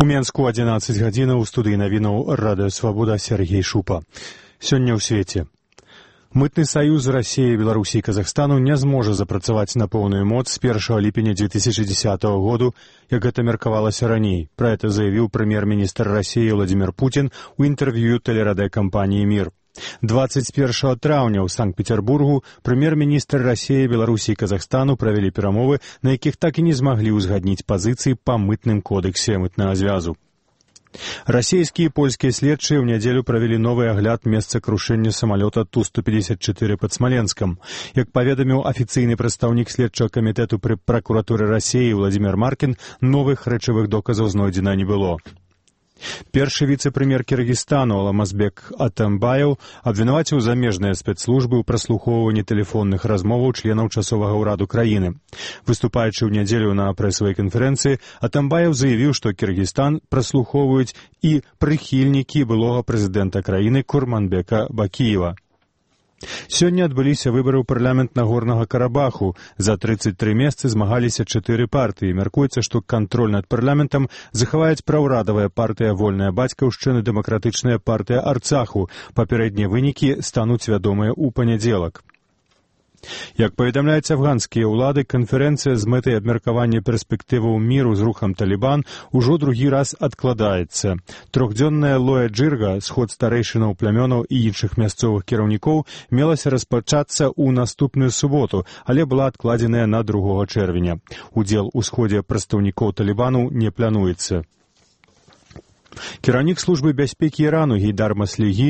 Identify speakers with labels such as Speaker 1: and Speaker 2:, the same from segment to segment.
Speaker 1: Менску 11 гадзінаў у студыі навінаў Радыё Свабода Сергей Шупа. Сёння ў свеце. Мытны саюз Расіі, Беларусі і Казахстану не зможа запрацаваць на поўную моц з 1 ліпеня 2010 году, як гэта меркавалася раней. Пра гэта заявіў прэм'ер-міністр Расіі Владимир Путин у інтэрв'ю тэлерадыёкампаніі «Мир». 21 траўня ў Санкт-Петербургу прэм'ер-міністр Расіі, Беларусі і Казахстану правялі перамовы, на якіх так і не змаглі ўзгадніць пазіцыі па мытным кодексе мытнага звязу. Расійскія і польскія следчыя ў нядзелю правялі новы агляд месца крушэння самалёта Ту-154 пад Смаленскам. Як паведаміў афіцыйны прадстаўнік следчага камітэту пры пракуратуры Расіі Владимир Маркін, новых рэчавых доказаў знойдзена не было. Першы віцэ-прэм'ер Кіргізстану Алмазбек Атамбаев абвінаваціў замежныя спецслужбы ў праслухоўванні тэлефонных размоваў членаў часовага ўраду краіны. Выступаючы ў нядзелю на прэсавай канферэнцыі, Атамбаев заявіў, што Кіргізстан праслухоўваюць і прыхільнікі былога прэзідэнта краіны Курманбека Бакіева. Сёння адбыліся выбары ў парламент Нагорнага Карабаху. За 33 месцы змагаліся 4 партыі. Мяркуецца, што кантроль над парламентам захаваюць праўрадавая партыя «Вольная бацькаўшчына» і дэмакратычная партыя «Арцаху». Папярэднія вынікі стануць вядомыя ў панядзелак. Як паведамляюць афганскія ўлады, канферэнцыя з мэтай абмеркавання перспектываў міру з рухам Талібан ужо другі раз адкладаецца. Трохдзённая Лоя Джырга, сход старэйшынаў плямёнаў і іншых мясцовых кіраўнікоў, мелася распачацца ў наступную суботу, але была адкладзеная на 2 чэрвеня. Удзел у сходзе прадстаўнікоў Талібану не плануецца. Кіраўнік службы бяспекі Ірану Гейдар Маслігі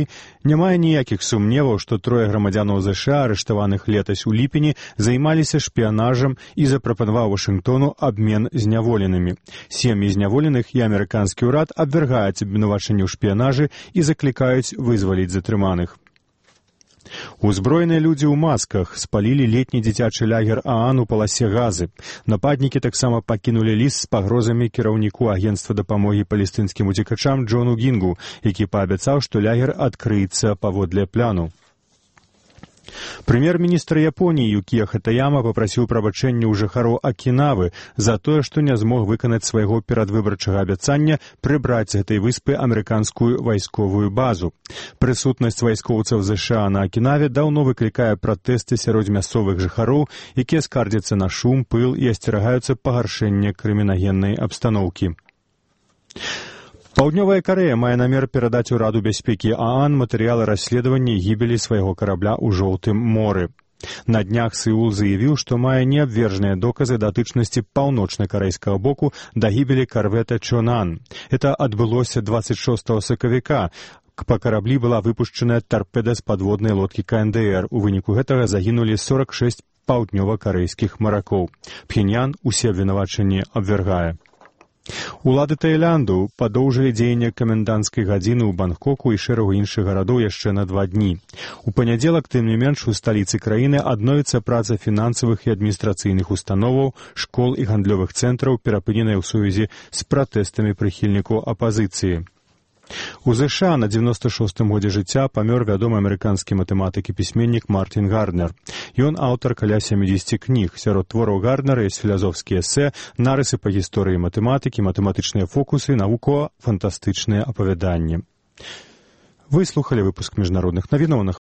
Speaker 1: не мае ніякіх сумневаў, што 3 грамадзянаў ЗША, арыштаваных летась у ліпені, займаліся шпіянажам і запрапанаваў Вашынгтону абмен зняволенымі. Сем'і зняволеных і амерыканскі ўрад абвяргаюць абвінавачанні ў шпіянажы і заклікаюць вызваліць затрыманых. Узброеныя людзі ў масках спалілі летні дзіцячы лагер ААН у паласе Газы. Нападнікі таксама пакінулі ліст з пагрозамі кіраўніку агенцтва дапамогі палестынскім уцекачам Джону Гінгу, які паабяцаў, што лагер адкрыецца паводле пляну. Прэм'ер-міністр Японіі Юкія Хатаяма папрасіў прабачэння ў жыхароў Акінавы за тое, што не змог выканаць свайго перадвыбарчага абяцання прыбраць з гэтай выспы амерыканскую вайсковую базу. Прысутнасць вайскоўцаў ЗША на Акінаве даўно выклікае пратэсты сярод мясцовых жыхароў, якія скардзяцца на шум, пыл і асцерагаюцца пагаршэння крымінагеннай абстаноўкі. Паўднёвая Карэя мае намер перадаць ураду бяспекі ААН матэрыялы расследавання гібелі свайго карабля ў Жоўтым моры. На днях Сеул заявіў, што мае неабвержныя доказы датычнасці паўночна-карэйскага боку да гібелі карвета Чонан. Это адбылося 26 сакавіка. Па караблі была выпушчаная тарпеда з падводнай лодкі КНДР. У выніку гэтага загінулі 46 паўднёва-карэйскіх маракоў. Пхеньян усе абвінавачанні абвяргае. Улады Таіланду падоўжылі дзеянне каменданцкай гадзіны ў Бангкоку і шэрагу іншых гарадоў яшчэ на 2 дні. У панядзелак, тым не менш, у сталіцы краіны адновіцца праца фінансавых і адміністрацыйных установаў, школ і гандлёвых цэнтраў, перапыненая ў сувязі з пратэстамі прыхільнікаў апазіцыі. У ЗША на 96-м годзе жыцця памёр вядомы амерыканскі матэматык і пісьменнік Мартін Гарднер. Ён аўтар каля 70 кніг. Сярод твораў Гарднера ёсць філазофскія эсэ, нарысы па гісторыі матэматыкі, матэматычныя фокусы, навукова-фантастычныя апавяданні. Вы слухалі выпуск міжнародных навінаў на